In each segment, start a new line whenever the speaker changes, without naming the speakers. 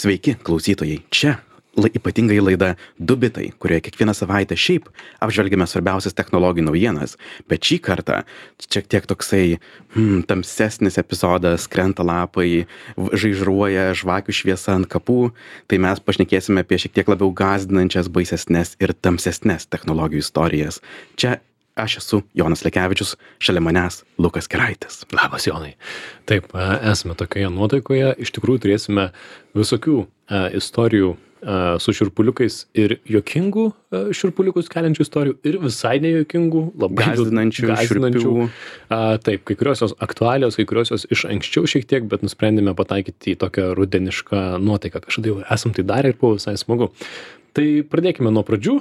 Sveiki, klausytojai. Čia ypatingai laida Du bitai, kurioje kiekvieną savaitę šiaip apžvelgiame svarbiausias technologijų naujienas, bet šį kartą šiek tiek toksai tamsesnis epizodas, krenta lapai, žaižruoja žvakių šviesa ant kapų, tai mes pašnekėsime apie šiek tiek labiau gąsdinančias, baisesnes ir tamsesnes technologijų istorijas. Čia aš esu Jonas Lekevičius, šalia manęs Lukas Keraitis.
Labas, Jonai. Taip, esame tokioje nuotaikoje. Iš tikrųjų turėsime visokių istorijų su šiurpuliukais ir juokingų šiurpuliukus keliančių istorijų ir visai nejuokingų, labai
gąsdinančių.
Taip, kai kurios jos aktualios, kai kurios jos iš anksčiau šiek tiek, bet nusprendėme pataikyti į tokią rudenišką nuotaiką. Kažkada jau esam tai darę ir buvo visai smagu. Tai pradėkime nuo pradžių.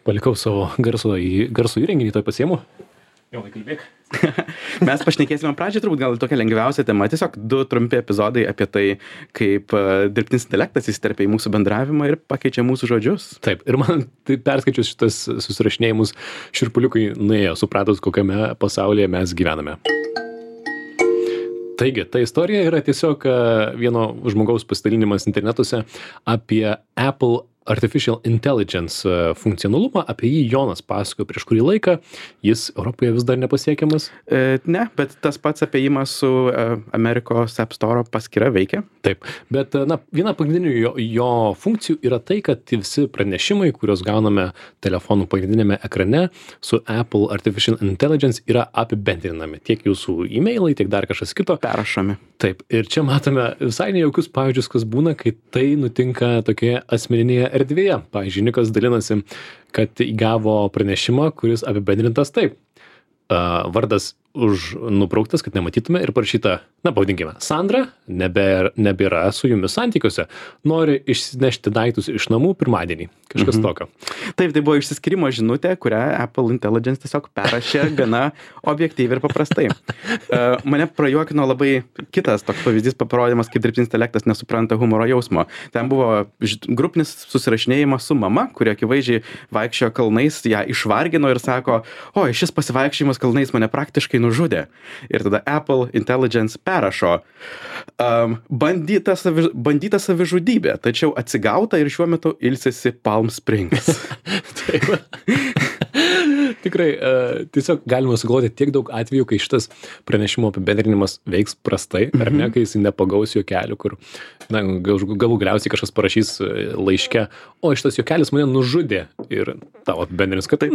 Palikau savo garso įrenginį, tai pasiimu. Jonai, kalbėk.
Mes pašnekėsime pradžią, turbūt gal tokia lengviausia tema. Tiesiog 2 trumpi epizodai apie tai, kaip dirbtinis intelektas įsiterpia į mūsų bendravimą ir pakeičia mūsų žodžius.
Taip, ir man tai perskaičius šitas susirašinėjimus šiurpuliukai nuėjo, supratus, kokiame pasaulyje mes gyvename. Taigi, ta istorija yra tiesiog vieno žmogaus pasidalinimas internetuose apie Apple Artificial Intelligence funkcionalumą, apie jį Jonas pasakojo prieš kurį laiką, jis Europoje vis dar nepasiekiamas.
Ne, bet tas pats apėjimas su Amerikos App Store paskyra veikia.
Taip, bet viena pagrindinių jo funkcijų yra tai, kad visi pranešimai, kuriuos gauname telefonų pagrindinėme ekrane su Apple Artificial Intelligence yra apibendrinami. Tiek jūsų e-mailai, tiek dar kažkas kito.
Perrašomi.
Taip, ir čia matome visai nejaukius pavyzdžius, kas būna, kai tai nutinka tokioje asmeninėje erdvėje. Pavyzdžiui, Nikas dalinasi, kad įgavo pranešimą, kuris apibendrintas taip. Vardas nubrauktas, kad nematytume ir parašyta, pavadinkime, Sandra nebėra su jumis santykiuose, nori išsinešti daiktus iš namų pirmadienį. Kažkas tokio.
Taip, tai buvo išsiskyrimo žinutė, kurią Apple Intelligence tiesiog perrašė gana objektyviai ir paprastai. Mane prajuokino labai kitas toks pavyzdys, parodymas, kaip dirbtinis intelektas nesupranta humoro jausmo. Ten buvo grupinis susirašinėjimas su mama, kuri akivaizdžiai vaikščiojo kalnais, ją išvargino ir sako, oi, šis pasivaikščiojimas kalnais mane praktiškai nužudė. Ir tada Apple Intelligence perrašo bandyta savižudybė, tačiau atsigauta ir šiuo metu ilsisi Palm Springs.
Taip. Tikrai, tiesiog galima sugalvoti tiek daug atvejų, kai šitas pranešimo apibendrinimas veiks prastai, ar ne, kai jis nepagaus juokelių, kur galų galiausiai kažkas parašys laiške, o šitas juokelis mane nužudė ir tavo apibendrinimas, kad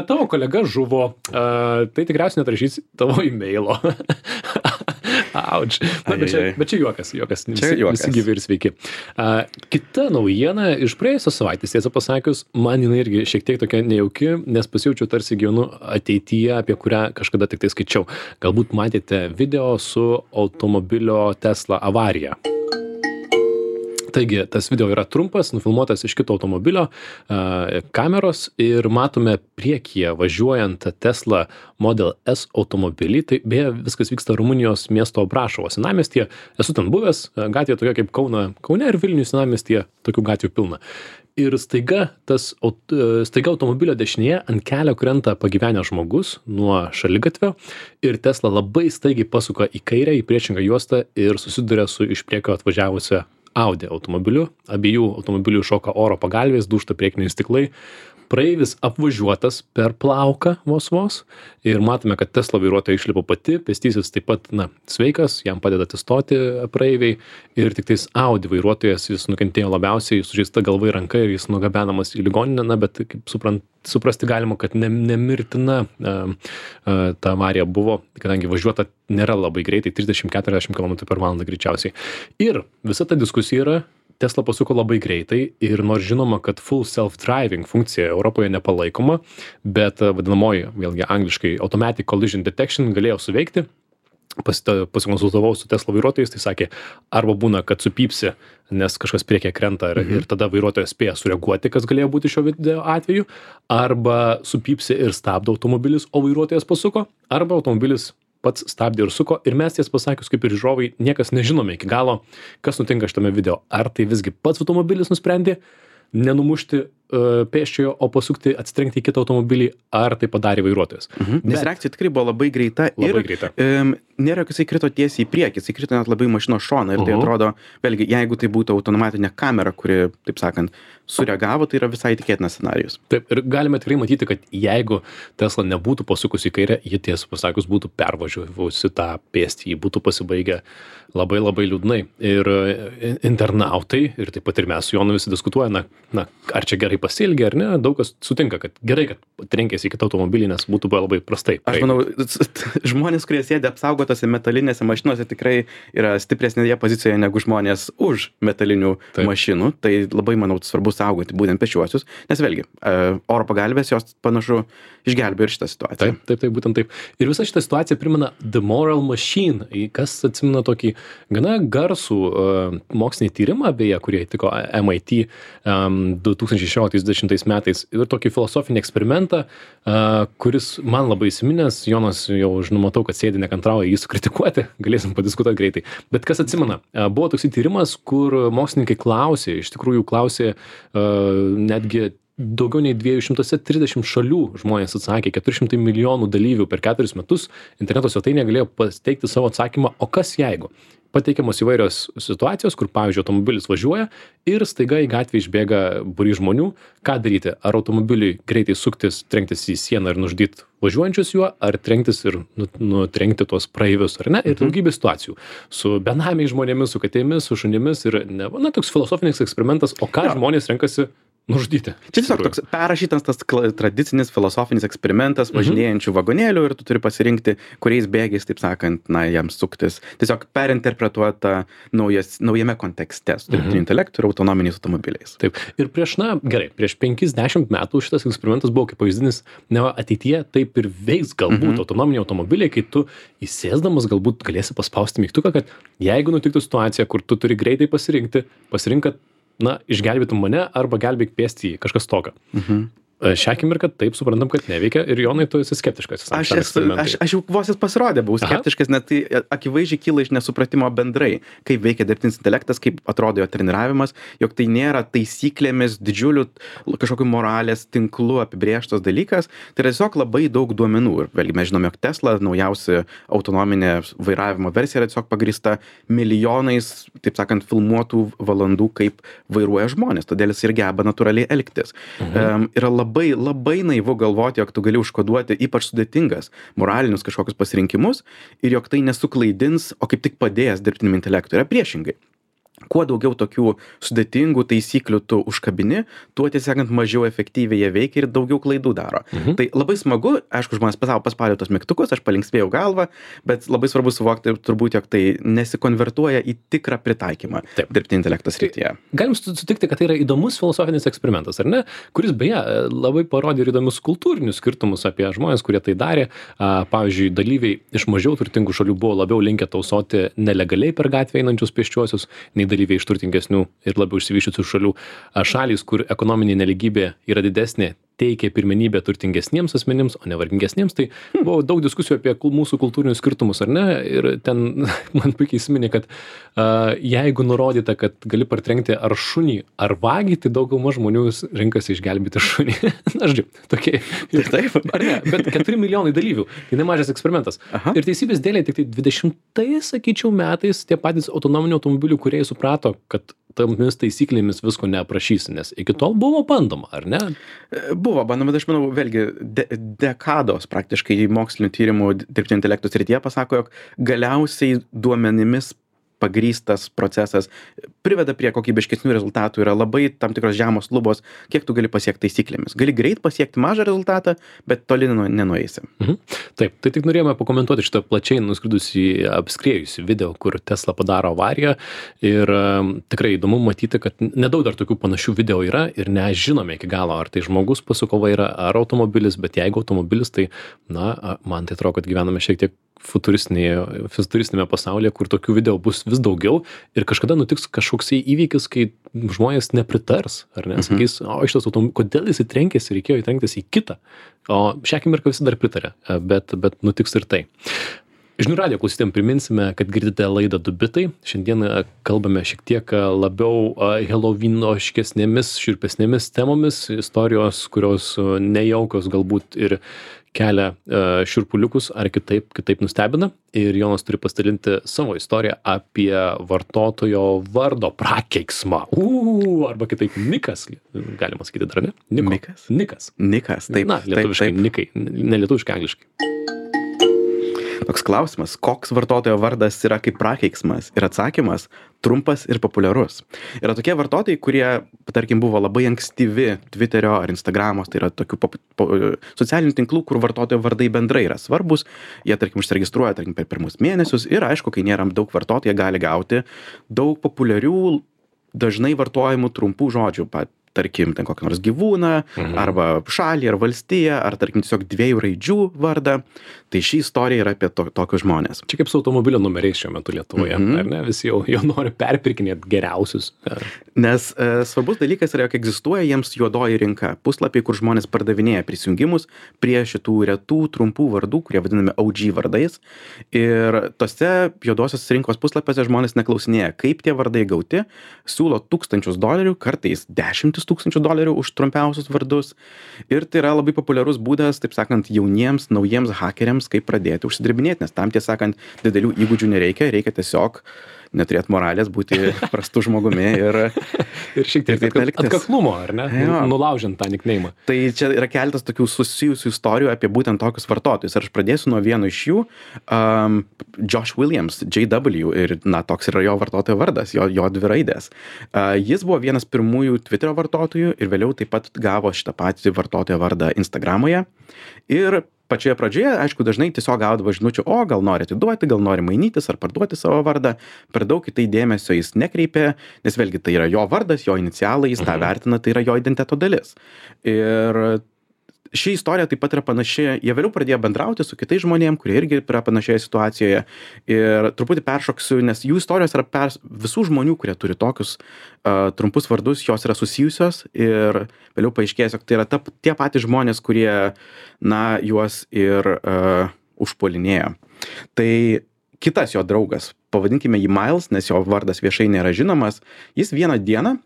tavo kolega žuvo, tai tikriausiai netrašys tavo e-mailo. Auč. Bet čia juokas. Visi gyvi ir sveiki. Kita naujiena iš praėjusios savaitės, tiesą pasakius, man jinai irgi šiek tiek tokia nejauki, nes pasijaučiu tarsi gyvenu ateityje, apie kurią kažkada tik tai skaičiau. Galbūt matėte video su automobilio Tesla avarija. Taigi, tas video yra trumpas, nufilmuotas iš kito automobilio kameros ir matome priekyje važiuojant Tesla Model S automobilį. Tai beje, viskas vyksta Rumunijos miesto Brašovo senamiestyje. Esu ten buvęs, gatvė tokia kaip Kaune ir Vilnius senamiestyje, tokių gatvių pilna. Ir staiga automobilio dešinėje ant kelio krenta pagyvenęs žmogus nuo šaligatvio ir Tesla labai staigiai pasuka į kairę, į priešingą juostą ir susiduria su iš priekio atvažiavusia Audi automobiliu. Abiejų automobilių šoka oro pagalvės, dūžta priekiniai stiklai. Praeivis apvažiuotas per plauką vos ir matome, kad Tesla vairuotoja išlipo pati, pėstysis taip pat, sveikas, jam padeda atsistoti praeiviai ir tik tais Audi vairuotojas, jis nukentėjo labiausiai, sužeista galva ir ranka ir jis nugabenamas į ligoninę, bet kaip suprasti galima, kad nemirtina ta avarija buvo, kadangi važiuota nėra labai greitai, 30-40 km/h greičiausiai. Ir visa ta diskusija yra, Tesla pasuko labai greitai ir nors žinoma, kad full self-driving funkcija Europoje nepalaikoma, bet vadinamoji, vėlgi angliškai, automatic collision detection galėjo suveikti. Pasikonsultavau su Tesla vairuotojais, tai sakė, arba būna, kad supypsi, nes kažkas priekyje krenta ir tada vairuotojas spėja sureaguoti, kas galėjo būti šio video atveju, arba supypsi ir stabdo automobilis, o vairuotojas pasuko, arba automobilis pats stabdė ir suko ir mes ties pasakius kaip ir žiūrovai niekas nežinome iki galo, kas nutinka šitame video. Ar tai visgi pats automobilis nusprendė nenumušti pėsčiojo, o pasukti, atsitrenkti į kitą automobilį, ar tai padarė vairuotojas.
Nes reakcija tikrai buvo labai greita
Labai greita.
Nėra, kad jisai krito tiesiai į priekį, jisai krito net labai mašinos šoną ir tai atrodo, vėlgi, jeigu tai būtų automatinė kamera, kuri, taip sakant, sureagavo, tai yra visai tikėtinas scenarijus.
Taip, ir galime tikrai matyti, kad jeigu Tesla nebūtų pasukusi į kairę, ji tiesą pasakius būtų pervažiavusi tą pėstįjį, būtų pasibaigę labai labai liūdnai. Ir internautai, ir taip pat ir mes su Jonu visi diskutuoja, na, ar čia gerai pasielgė, ar ne, daug kas sutinka, kad gerai, kad trenkėsi į kitą automobilį, nes būtų buvę labai prastai.
Aš manau, žmonės, kurie sėdi apsaugotose metalinėse mašinose, tikrai yra stipresnėje pozicijoje negu žmonės už metalinių mašinų. Tai labai, manau, svarbu saugoti būtent pešiuosius, nes vėlgi, oro pagalbės jos panašu išgelbėjo ir šitą situaciją.
Taip, būtent taip. Ir visa šita situacija primena The Moral Machine, kas atsimena tokį gana garsų mokslinį tyrimą, beje, kurie įtiko MIT 2016-2020 metais, ir tokį filosofinį eksperimentą, kuris man labai įsiminęs, Jonas jau žinomatau, kad sėdi nekantrauja jį sukritikuoti, galėsim padiskutuoti greitai. Bet kas atsimena, buvo toks tyrimas, kur mokslininkai klausė, iš tikrųjų klausė netgi daugiau nei 230 šalių žmonės atsakė, 400 milijonų dalyvių per 4 metus interneto svetainėje galėjo pateikti savo atsakymą, o kas jeigu? Pateikiamos įvairios situacijos, kur, pavyzdžiui, automobilis važiuoja ir staiga į gatvę išbėga būrys žmonių. Ką daryti? Ar automobiliui greitai suktis, trenktis į sieną ir nužudyti važiuojančius juo, ar trenktis ir nutrenkti tuos praeivius, ar ne? Ir daugybė situacijų. Su benamiais žmonėmis, su katėmis, su šunimis ir, toks filosofinis eksperimentas, o ką žmonės renkasi nužudyti.
Čia tiesiog toks perrašytas tas tradicinis filosofinis eksperimentas važinėjančių vagonėlių ir tu turi pasirinkti, kuriais bėgiais, taip sakant, jam suktis. Tiesiog perinterpretuota naujame kontekste su dirbtiniu intelektu ir autonominiais automobiliais.
Taip. Ir prieš 50 metų šitas eksperimentas buvo kaip pavyzdinis, ateityje taip ir veiks galbūt autonominiai automobiliai, kai tu įsėsdamas galbūt galėsi paspausti mygtuką, kad jeigu nutiktų situacija, kur tu turi greitai pasirinkti, kad išgelbėtum mane arba gelbėk pėstįjį, kažkas tokio. Šią akimirką taip suprantam, kad neveikia ir Jonai, tu esi skeptiškas.
Aš jau vos jis pasirodė, buvau skeptiškas, net tai akivaizdžiai kyla iš nesupratimo bendrai, kaip veikia dirbtinis intelektas, kaip atrodo jo treniravimas, jog tai nėra taisyklėmis, didžiulių kažkokių moralės tinklų apibrėžtas dalykas, tai yra tiesiog labai daug duomenų. Ir vėlgi mes žinome, jog Tesla, naujausia autonominė vairavimo versija, yra tiesiog pagrįsta milijonais, taip sakant, filmuotų valandų, kaip vairuoja žmonės, todėl jis ir geba natūraliai elgtis. Yra labai naivu galvoti, jog tu gali užkoduoti ypač sudėtingas moralinius kažkokius pasirinkimus ir jog tai nesuklaidins, o kaip tik padės dirbtiniam intelektui. Yra priešingai. Kuo daugiau tokių sudėtingų taisyklių tu užkabini, tuo tiesiog mažiau efektyviai jie veikia ir daugiau klaidų daro. Tai labai smagu, aišku, žmonės paspaudė tos mygtukus, aš palinksmėjau galvą, bet labai svarbu suvokti turbūt, jog tai nesikonvertuoja į tikrą pritaikymą dirbtinio intelekto srityje.
Galim sutikti, kad tai yra įdomus filosofinis eksperimentas, ar ne? Kuris beje labai parodė ir įdomius kultūrinius skirtumus apie žmonės, kurie tai darė. Pavyzdžiui, dalyviai iš mažiau turtingų šalių buvo labiau linkę tausoti nelegaliai per gatvę einančius pėsčiuosius, nei dalyviai iš turtingesnių ir labiau išsivysčiusių šalių. Šalys, kur ekonominė nelygybė yra didesnė, teikia pirmenybę turtingesniems asmenims, o ne vargingesniems. Tai buvo daug diskusijų apie mūsų kultūrinius skirtumus, ar ne? Ir ten man puikiai įsiminė, kad jeigu nurodyta, kad gali partrenkti ar šunį, ar vagį, tai dauguma žmonių renkasi išgelbėti šunį. Na, žodžiu, tokie.
Taip.
Ar ne? Bet 4 milijonai dalyvių. Tai nemažas eksperimentas. Ir teisybės dėlei tik tai 20-ais, sakyčiau, metais tie patys autonominių automobilių kūrėjai suprato, kad tomis taisyklėmis visko neaprašysi, nes iki tol buvo bandoma, ar ne?
Buvo bandoma, bet aš manau, vėlgi, dekados praktiškai mokslinių tyrimų dirbtinio intelekto srityje pasako, jog galiausiai duomenimis pagrįstas procesas priveda prie kokybiškesnių rezultatų, yra labai tam tikros žemos lubos, kiek tu gali pasiekti taisyklėmis. Gali greit pasiekti mažą rezultatą, bet toli nenueisi.
Taip, tai tik norėjome pakomentuoti šitą plačiai apskriejusi video, kur Tesla padaro avariją ir tikrai įdomu matyti, kad nedaug dar tokių panašių video yra ir nežinome iki galo, ar tai žmogus pasuko vairą, ar automobilis, bet jeigu automobilis, tai, man tai atrodo, kad gyvename šiek tiek futuristinėme pasaulyje, kur tokių video bus vis daugiau ir kažkada nutiks kažkoksai įvykis, kai žmonės nepritars, ar ne? Sakys, šitas automobilis, kodėl jis trenkėsi, reikėjo trenktis į kitą. O šią akimirką visi dar pritarė, bet nutiks ir tai. Žinių radijo klausytėm priminsime, kad girdite laidą Du bitai. Šiandien kalbame šiek tiek labiau helovynoškesnėmis, šiurpesnėmis temomis, istorijos, kurios nejaukios galbūt ir kelia šiurpuliukus ar kitaip nustebina. Ir Jonas turi pasidalinti savo istoriją apie vartotojo vardo prakeiksmą. Arba kitaip Nikas, galima sakyti dar, ne?
Nikas? Nikas, taip.
Na, lietuviškai
taip.
Nikai, ne lietuviškai, angliškai.
Toks klausimas, koks vartotojo vardas yra kaip prakeiksmas? Ir atsakymas - trumpas ir populiarus. Yra tokie vartotojai, kurie, tarkim, buvo labai ankstyvi Twitterio ar Instagramos, tai yra tokių socialinių tinklų, kur vartotojo vardai bendrai yra svarbus. Jie, tarkim, užsiregistruoja, tarkim, per pirmus mėnesius ir, aišku, kai nėra daug vartotojų, jie gali gauti daug populiarių, dažnai vartojamų trumpų žodžių. Tarkim, ten kokį nors gyvūną, arba šalį, ar valstiją, ar tarkim tiesiog 2 raidžių vardą. Tai ši istorija yra apie tokius žmonės.
Čia kaip su automobilio numeriais šiuo metu Lietuvoje, ar ne? Visi jau nori perpirkinėti geriausius.
Nes svarbus dalykas yra, jog egzistuoja jiems juodoji rinka. Puslapiai, kur žmonės pardavinėja prisijungimus prie šitų retų trumpų vardų, kurie vadinami OG vardais. Ir tose juodosios rinkos puslapiuose žmonės neklausinėja, kaip tie vardai gauti, siūlo $1000, kartais $10,000 už trumpiausius vardus. Ir tai yra labai populiarus būdas, taip sakant, jauniems, naujiems hakeriams, kaip pradėti užsidirbinėti, nes tam, tiesą sakant, didelių įgūdžių nereikia, reikia tiesiog neturėti moralės, būti prastu žmogumi ir
šiek tiek atkaklumo, ar ne? Nulaužiant tą nickname'ą.
Tai čia yra keletas tokių susijusių istorijų apie būtent tokius vartotojus. Ir aš pradėsiu nuo vieno iš jų, Josh Williams, JW, ir toks yra jo vartotojo vardas, jo 2 raidės. Jis buvo vienas pirmųjų Twitterio vartotojų ir vėliau taip pat gavo šitą patį vartotojo vardą Instagramoje. Ir pačioje pradžioje, aišku, dažnai tiesiog gaudavo žinučių, gal nori atiduoti, gal nori mainytis ar parduoti savo vardą. Per daug į tai dėmesio jis nekreipė, nes vėlgi tai yra jo vardas, jo inicialai, jis tą vertina, tai yra jo identiteto dalis. Ir ši istorija taip pat yra panaši, jie vėliau pradėjo bendrauti su kitais žmonėm, kurie irgi yra panašioje situacijoje. Ir truputį peršoksiu, nes jų istorijos yra visų žmonių, kurie turi tokius trumpus vardus, jos yra susijusios ir vėliau paaiškės, jog tai yra tie patys žmonės, kurie, juos ir užpuolinėjo. Tai kitas jo draugas, pavadinkime jį Miles, nes jo vardas viešai nėra žinomas, jis vieną dieną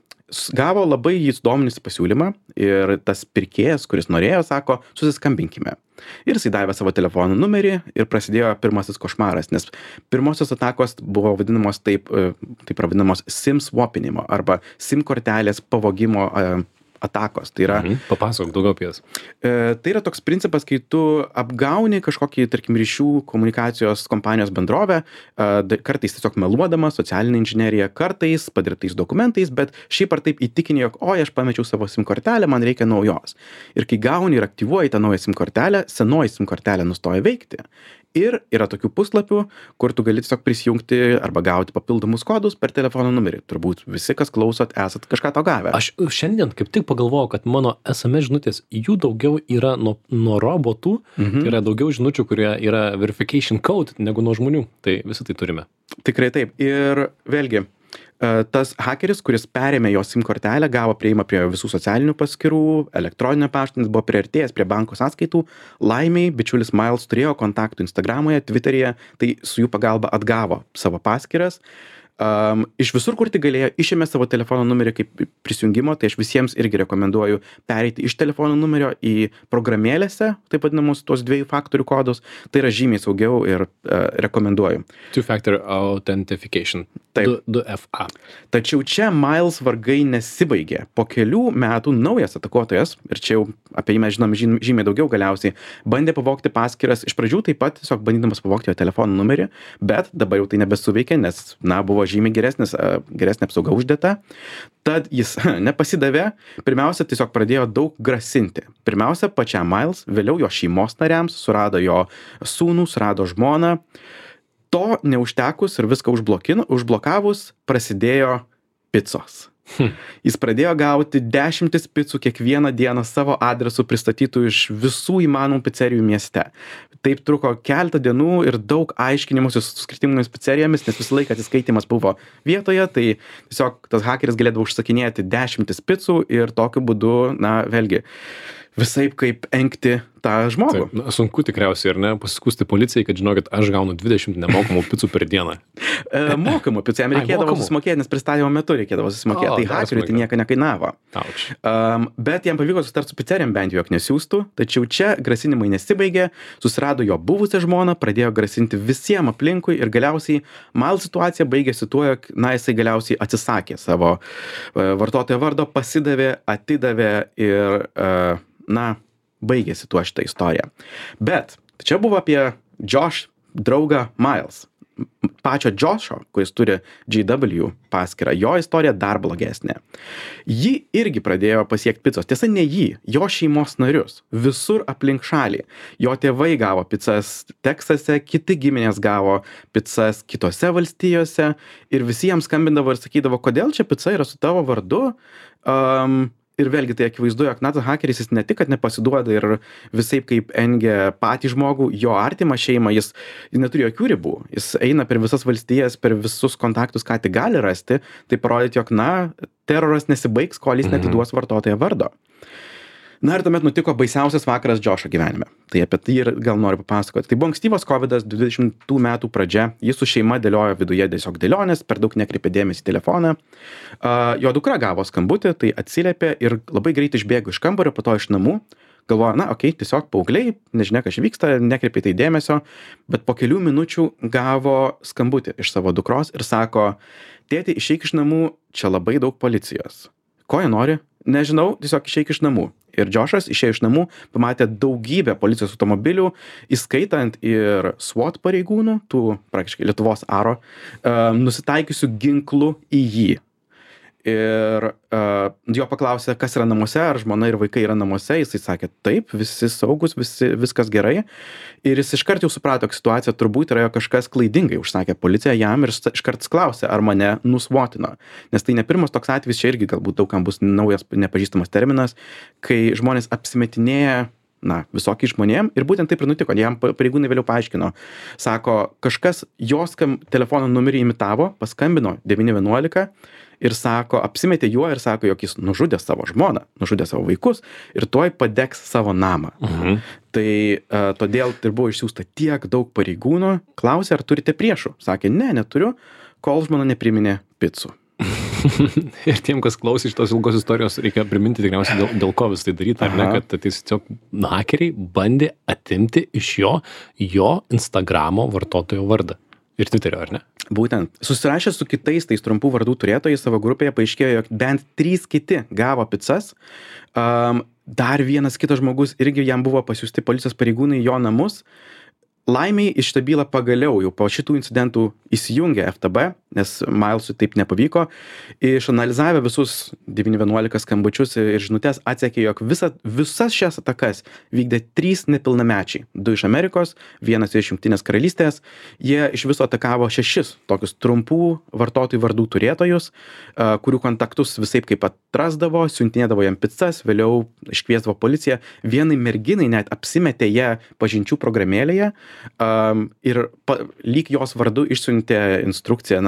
gavo labai jį sudominusį pasiūlymą ir tas pirkėjas, kuris norėjo, sako, susiskambinkime. Ir jisai davė savo telefono numerį ir prasidėjo pirmasis košmaras, nes pirmosios atakos buvo vadinamos taip vadinamos SIM swapinimo arba SIM kortelės pavogimo atakos. Tai yra,
papasakok daugiau apie jas.
Tai yra toks principas, kai tu apgauni kažkokį, tarkim, ryšių komunikacijos kompanijos bendrovę, kartais tiesiog meluodama, socialinė inžinerija, kartais padirbtais dokumentais, bet šiaip ar taip įtikinė, jog, aš pamečiau savo SIM kortelę, man reikia naujos. Ir kai gauni ir aktyvuoji tą naują SIM kortelę, senoji SIM kortelė nustoja veikti. Ir yra tokių puslapių, kur tu gali tiesiog prisijungti arba gauti papildomus kodus per telefono numerį. Turbūt visi, kas klausot, esat kažką to gavę.
Aš šiandien kaip tik pagalvojau, kad mano SMS žinutės, jų daugiau yra nuo robotų, tai yra daugiau žinučių, kurie yra verification code negu nuo žmonių. Tai visi tai turime.
Tikrai taip. Ir vėlgi, tas hakeris, kuris perėmė jo SIM kortelę, gavo prieimą prie visų socialinių paskyrų, elektroninio pašto, buvo priartėjęs prie banko sąskaitų. Laimiai, bičiulis Miles turėjo kontaktų Instagramoje, Twitteryje, tai su jų pagalba atgavo savo paskyras. Iš visur, kur tik galėjo, išėmė savo telefono numerį kaip prisijungimo, tai aš visiems irgi rekomenduoju pereiti iš telefono numerio į programėlėse, taip vadinamus tos 2 faktorių kodus. Tai yra žymiai saugiau ir rekomenduoju.
Two-factor authentication. 2FA.
Tačiau čia Miles vargai nesibaigė. Po kelių metų naujas atakuotojas, ir čia jau apie jį mes žinom žymiai daugiau galiausiai, bandė pavogti paskyras, iš pradžių taip pat tiesiog bandydamas pavogti jo telefono numerį, bet dabar jau tai nebesuveikė, nes, buvo žymiai geresnė apsauga uždėta. Tad jis nepasidavė, pirmiausia, tiesiog pradėjo daug grasinti. Pirmiausia, pačiam Miles, vėliau jo šeimos nariams, surado jo sūnų, surado žmoną. To neužtekus ir viską užblokavus, prasidėjo picos. Jis pradėjo gauti 10 picų kiekvieną dieną savo adresu pristatytų iš visų įmanomų picerijų mieste. Taip truko keletą dienų ir daug aiškinimusi su skirtingomis picerijomis, nes visą laiką atsiskaitimas buvo vietoje, tai tiesiog tas hakeris galėdavo užsakinėti 10 picų ir tokiu būdu, vėlgi, visaip kaip engti tą žmogų.
Taip, sunku tikriausiai, ar ne, pasiskųsti policijai, kad žinokit, aš gaunu 20 nemokamų picų per dieną.
Mokamų picų, jam reikėdavo susimokėti, nes pristatymo metu reikėdavo susimokėti, tai hakeriui tai nieko nekainavo. Bet jam pavyko susitarti su picerijom bent jau, jog nesiųstų, tačiau čia grasinimai nesibaigė, susirado jo buvusią žmoną, pradėjo grasinti visiems aplinkui ir galiausiai Miles situacija baigėsi tuo, jog, jisai galiausiai atsisakė savo vartotojo vardo, pasidavė, atidavė ir, baigėsi tuo šitą istoriją. Bet čia buvo apie Josh draugą Miles. Pačio Josho, kuris turi GW paskyrą, jo istorija dar blogesnė. Ji irgi pradėjo pasiekti picos. Tiesa, ne jį, jo šeimos narius. Visur aplink šalį. Jo tėvai gavo picas Teksase, kiti giminės gavo picas kitose valstijose ir visi jiems skambindavo ir sakydavo, kodėl čia pica yra su tavo vardu. Ir vėlgi tai akivaizdu, jog tas hakeris jis ne tik, kad nepasiduoda ir visaip kaip engia patį žmogų, jo artimą šeimą, jis neturi jokių ribų. Jis eina per visas valstijas, per visus kontaktus, ką tik gali rasti, tai parodyti, jog, teroras nesibaigs, kol jis netiduos vartotojo vardo. Ir tuomet nutiko baisiausias vakaras Josho gyvenime. Tai apie tai ir gal noriu papasakoti. Tai buvo ankstyvas COVID-as, 20 metų pradžia. Jis su šeima dėliojo viduje tiesiog dėlionės, per daug nekreipė dėmesį į telefoną. Jo dukra gavo skambutį, tai atsiliepė ir labai greit išbėgo iš kambario, po to iš namų. Galvoja, tiesiog paaugliai, nežinia, kas vyksta, nekreipė tai dėmesio, bet po kelių minučių gavo skambutį iš savo dukros ir sako, tėti, išeik iš namų, čia labai daug policijos. Ko jie nori? Nežinau, tiesiog išeik iš namų. Ir Joshas išėjo iš namų, pamatė daugybę policijos automobilių, įskaitant ir SWAT pareigūnų, tų praktiškai Lietuvos aro, nusitaikiusių ginklų į jį. Ir jo paklausė, kas yra namuose, ar žmona ir vaikai yra namuose, jisai sakė, taip, visi saugus, viskas gerai. Ir jis iškart jau suprato, kad situacija turbūt yra kažkas klaidingai, užsakė policija jam ir iškart klausė, ar mane nusvotino. Nes tai ne pirmas toks atvejis, čia irgi galbūt daugam bus naujas nepažįstamas terminas, kai žmonės apsimetinėja visokiai žmonėm ir būtent taip ir nutiko, jam pareigūnai vėliau paaiškino. Sako, kažkas jos telefono numerį imitavo, paskambino 911 ir sako, apsimetė juo ir sako, jog jis nužudė savo žmoną, nužudė savo vaikus ir tuoj padegs savo namą. Tai todėl ir buvo išsiųsta tiek daug pareigūnų, klausė, ar turite priešų. Sakė, ne, neturiu, kol žmona nepriminė picų.
Ir tiem, kas klausė šitos ilgos istorijos, reikia priminti tikriausiai dėl ko vis tai daryti, ar ne, kad tiesiog hakeriai bandė atimti iš jo Instagramo vartotojo vardą. Ir Twitterio, ar ne?
Būtent. Susirašė su kitais tais trumpų vardų turėtojais savo grupėje, paaiškėjo, jog bent 3 kiti gavo picas. Dar vienas kitas žmogus irgi jam buvo pasiųsti policijos pareigūnai į jo namus. Laimiai iš šitą bylą pagaliau jau po šitų incidentų įsijungė FTB, nes Milesui taip nepavyko. Išanalizavę visus 911 skambučius ir žinutes atsekė, jog visas šias atakas vykdė 3 nepilnamečiai. 2 iš Amerikos, 1 iš Jungtinės karalystės. Jie iš viso atakavo 6 tokius trumpų vartotojų vardų turėtojus, kurių kontaktus visaip kaip atrasdavo, siuntinėdavo jam picas, vėliau iškviesdavo policiją. Vienai merginai net apsimetė ją pažinčių programėlėje. Ir lyg jos vardu išsiuntė instrukciją,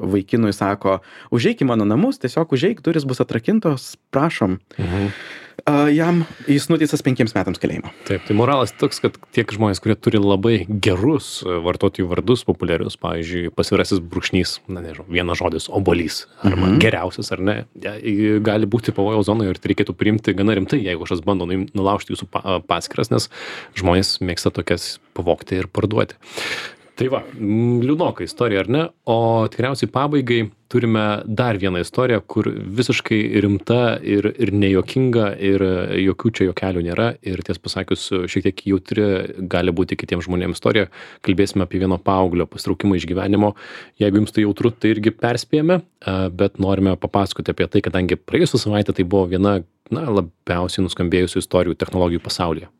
vaikinui sako, užeik į mano namus, tiesiog užeik, durys bus atrakintos, prašom. Jis nuteistas 5 metams kalėjimo.
Taip, tai moralas toks, kad tiek žmonės, kurie turi labai gerus vartotojų vardus populiarius, pavyzdžiui, pasvirasis brūkšnys, vienas žodis, obuolys, arba geriausias, ar ne, gali būti pavojaus zonoje ir tai reikėtų priimti gana rimtai, jeigu kažkas bando nulaužti jūsų paskyras, nes žmonės mėgsta tokias pavogti ir parduoti. Tai va, liūdnoka istorija, ar ne? O tikriausiai pabaigai turime dar vieną istoriją, kur visiškai rimta ir nejuokinga ir jokių čia juokelių nėra. Ir ties pasakius, šiek tiek jautri gali būti kitiems žmonėms istorija. Kalbėsime apie vieno paauglio pasitraukimą iš gyvenimo. Jeigu jums tai jautru, tai irgi perspėjame, bet norime papasakoti apie tai, kadangi praėjusią savaitę tai buvo viena labiausiai nuskambėjusių istorijų technologijų pasaulyje.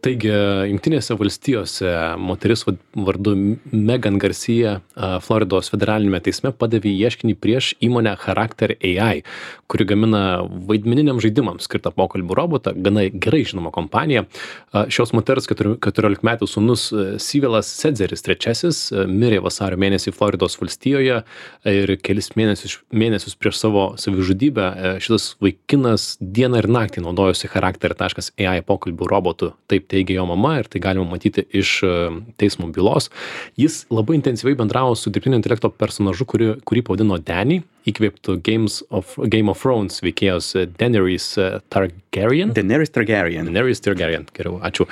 Taigi, Jungtinėse valstijose moteris vardu Megan Garcia Floridos federalinėme teisme padavė ieškinį prieš įmonę Character AI, kuri gamina vaidmeniniams žaidimams skirtą pokalbių robotą, gana gerai žinoma kompanija. Šios moters 14 metų sūnus Sivelas Sedzeris III mirė vasario mėnesį Floridos valstijoje ir kelis mėnesius prieš savo savižudybę šitas vaikinas dieną ir naktį naudojosi Character.ai pokalbių robotu. Taip teigia jo mama ir tai galima matyti iš teismo bylos. Jis labai intensyviai bendravo su dirbtinio intelekto personažu, kurį pavadino Danny, įkvėptų Game of Thrones veikėjos Daenerys Targaryen.
Daenerys Targaryen,
Geriau, ačiū.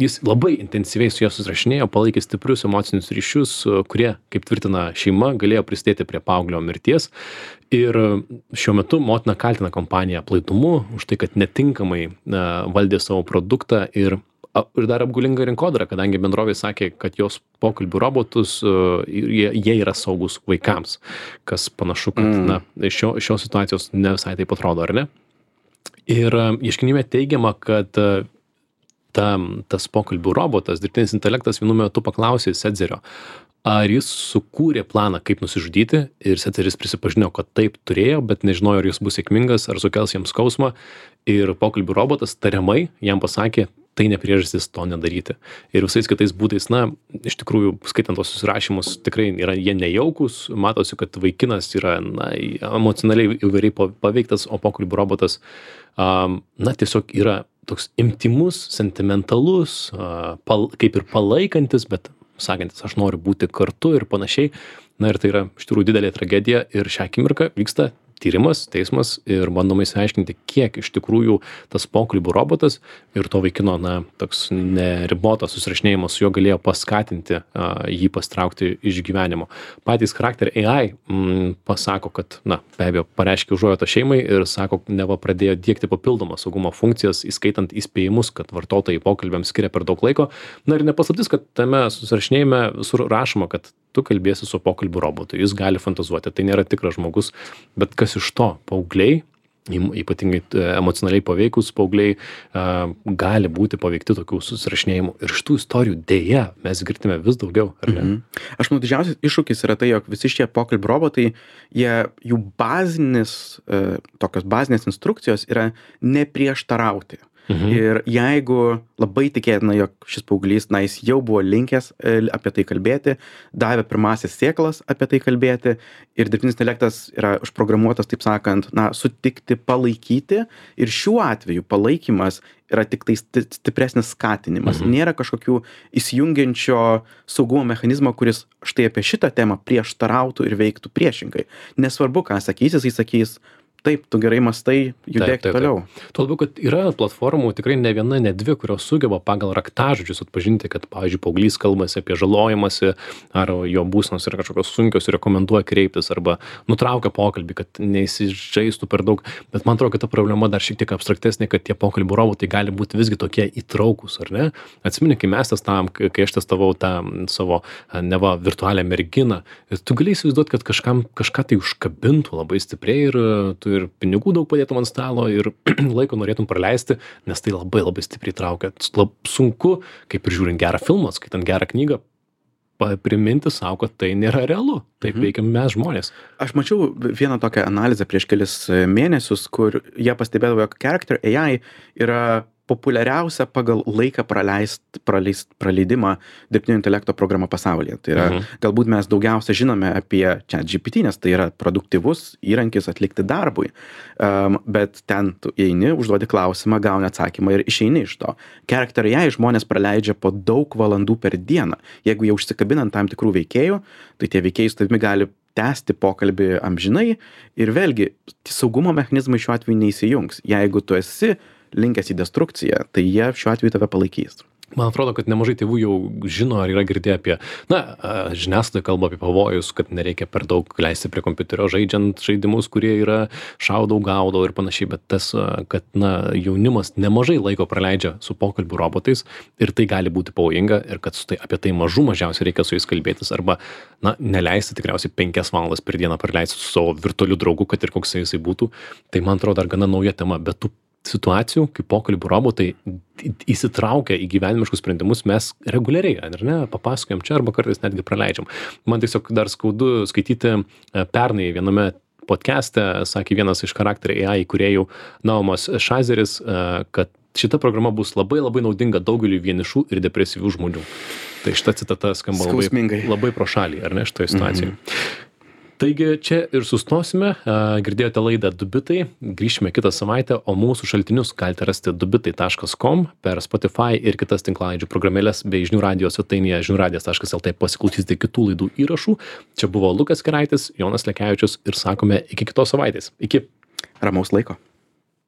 Jis labai intensyviai su juo susirašinėjo, palaikė stiprius emocinius ryšius, kurie, kaip tvirtina šeima, galėjo prisidėti prie paauglio mirties. Ir šiuo metu motina kaltina kompaniją aplaidumu už tai, kad netinkamai valdė savo produktą ir dar apgaulinga rinkodara, kadangi bendrovė sakė, kad jos pokalbių robotus, jie yra saugus vaikams, kas panašu, kad šios situacijos ne visai taip atrodo, ar ne? Ir ieškinyje teigiama, kad tas pokalbių robotas, dirbtinis intelektas vienu metu paklausė Sedzerio, ar jis sukūrė planą, kaip nusižudyti, ir Sedzeris prisipažino, kad taip turėjo, bet nežinojo, ar jis bus sėkmingas, ar sukels jam skausmą, ir pokalbių robotas tariamai jam pasakė, tai ne priežastis to nedaryti. Ir visais kitais būdais, iš tikrųjų, skaitant tos susirašymus, tikrai jie nejaukus, matosi, kad vaikinas yra, emocionaliai įvairiai paveiktas, o pokalbių robotas, tiesiog yra toks intymus, sentimentalus, kaip ir palaikantis, bet sakantis, aš noriu būti kartu ir panašiai. Ir tai yra iš tikrųjų didelė tragedija ir šią akimirką vyksta tyrimas, teismas ir bandoma išsiaiškinti, kiek iš tikrųjų tas pokalbių robotas ir to vaikino, toks neribotas susirašinėjimas su juo galėjo paskatinti jį pastraukti iš gyvenimo. Patys Character AI pasako, kad, be abejo, pareiškė užuojautą šeimai ir sako, neva pradėjo diegti papildomas saugumo funkcijas, įskaitant įspėjimus, kad vartotojai pokalbiams skiria per daug laiko. Ir nepaslaptis, kad tame susirašinėjime visur rašoma, kad tu kalbėsi su pokalbių robotu, jis gali fantazuoti, tai nėra tikras žmogus, bet kas iš to, paaugliai, ypatingai emocionaliai paveikus paaugliai, gali būti paveikti tokių susirašinėjimų. Ir šitų istorijų dėja mes girdime vis daugiau, ar ne?
Aš manau, didžiausias iššūkis yra tai, jog visi šie pokalbių robotai, jų tokios bazinės instrukcijos yra neprieštarauti. Ir jeigu labai tikėtina, jog šis paauglys, jis jau buvo linkęs apie tai kalbėti, davė pirmasis sėklas apie tai kalbėti ir dirbtinis intelektas yra užprogramuotas, taip sakant, sutikti, palaikyti, ir šiuo atveju palaikymas yra tik tai stipresnis skatinimas. Nėra kažkokių įsijungiančio saugumo mechanizmo, kuris štai apie šitą temą prieštarautų ir veiktų priešingai. Nesvarbu, ką sakys, jis sakys, taip, tu gerai mąstai, judėk toliau.
Tuo labiau, kad yra platformų tikrai ne viena, ne dvi, kurios sugeba pagal raktažodžius atpažinti, kad, pavyzdžiui, paauglys kalbasi apie žalojimąsi, ar jo būsenos yra kažkokios sunkios ir rekomenduoja kreiptis, arba nutraukia pokalbį, kad neįsižaistų per daug. Bet man atrodo, kad ta problema dar šiek tiek abstraktesnė, kad tie pokalbių robotai gali būti visgi tokie įtraukus, ar ne? Atsimeni, kai mes testavom, kai aš testavau tą savo neva virtualią merginą, tu gali įsivaizduoti, kad kažką tai užkabintų labai stipriai ir tu ir pinigų daug padėtum ant stalo ir laiko norėtum praleisti, nes tai labai labai stipriai traukia. Sunku, kaip ir žiūrint gerą filmą, skaitant gerą knygą, priminti savo, kad tai nėra realu. Taip veikiam mes žmonės.
Aš mačiau vieną tokią analizę prieš kelis mėnesius, kur jie pastebėdavo, jog Character AI yra populiariausia pagal laiką praleidimą dirbtinio intelekto programa pasaulyje. Tai yra, galbūt mes daugiausia žinome apie ChatGPT, nes tai yra produktyvus įrankis atlikti darbui. Bet ten tu eini, užduodi klausimą, gauni atsakymą ir išeini iš to. Character AI žmonės praleidžia po daug valandų per dieną. Jeigu jie užsikabinant tam tikrų veikėjų, tai tie veikėjai su tavimi gali tęsti pokalbį amžinai ir vėlgi saugumo mechanizmai šiuo atveju neįsijungs. Jeigu tu esi linkęs į destrukciją, tai jie šiuo atveju tave palaikys.
Man atrodo, kad nemažai tėvų jau žino ar yra girdėję apie, žiniasklaida kalba apie pavojus, kad nereikia per daug leisti prie kompiuterio žaidžiant žaidimus, kurie yra šaudau, gaudau ir panašiai, bet tas, kad jaunimas nemažai laiko praleidžia su pokalbių robotais ir tai gali būti pavojinga ir kad apie tai mažiausiai reikia su jais kalbėtis arba, neleisti tikriausiai 5 valandas per dieną praleisti su savo virtualiu draugu, kad ir koks jisai būtų. Tai man atrodo dar gana nauja tema, bet tų situacijų, kai pokalbių robotai įsitraukia į gyvenimiškus sprendimus, mes reguliariai, ar ne, papasakojam čia arba kartais netgi praleidžiam. Man tiesiog dar skaudu skaityti pernai viename podcast'e, sakė vienas iš charakterių AI įkūrėjų Naumas Šazeris, kad šita programa bus labai labai naudinga daugeliu vienišų ir depresyvių žmonių. Tai šita citata skamba labai pro šalį, ar ne, šitoje situacijoje. Taigi čia ir sustosime, girdėjote laidą Dubitai, grįšime kitą savaitę, o mūsų šaltinius galite rasti dubitai.com per Spotify ir kitas tinklalaidžių programėlės bei žinių radijos svetainėje žiniųradijas.lt pasiklausysite kitų laidų įrašų. Čia buvo Lukas Keraitis, Jonas Lekevičius ir sakome iki kitos savaitės. Iki.
Ramaus laiko.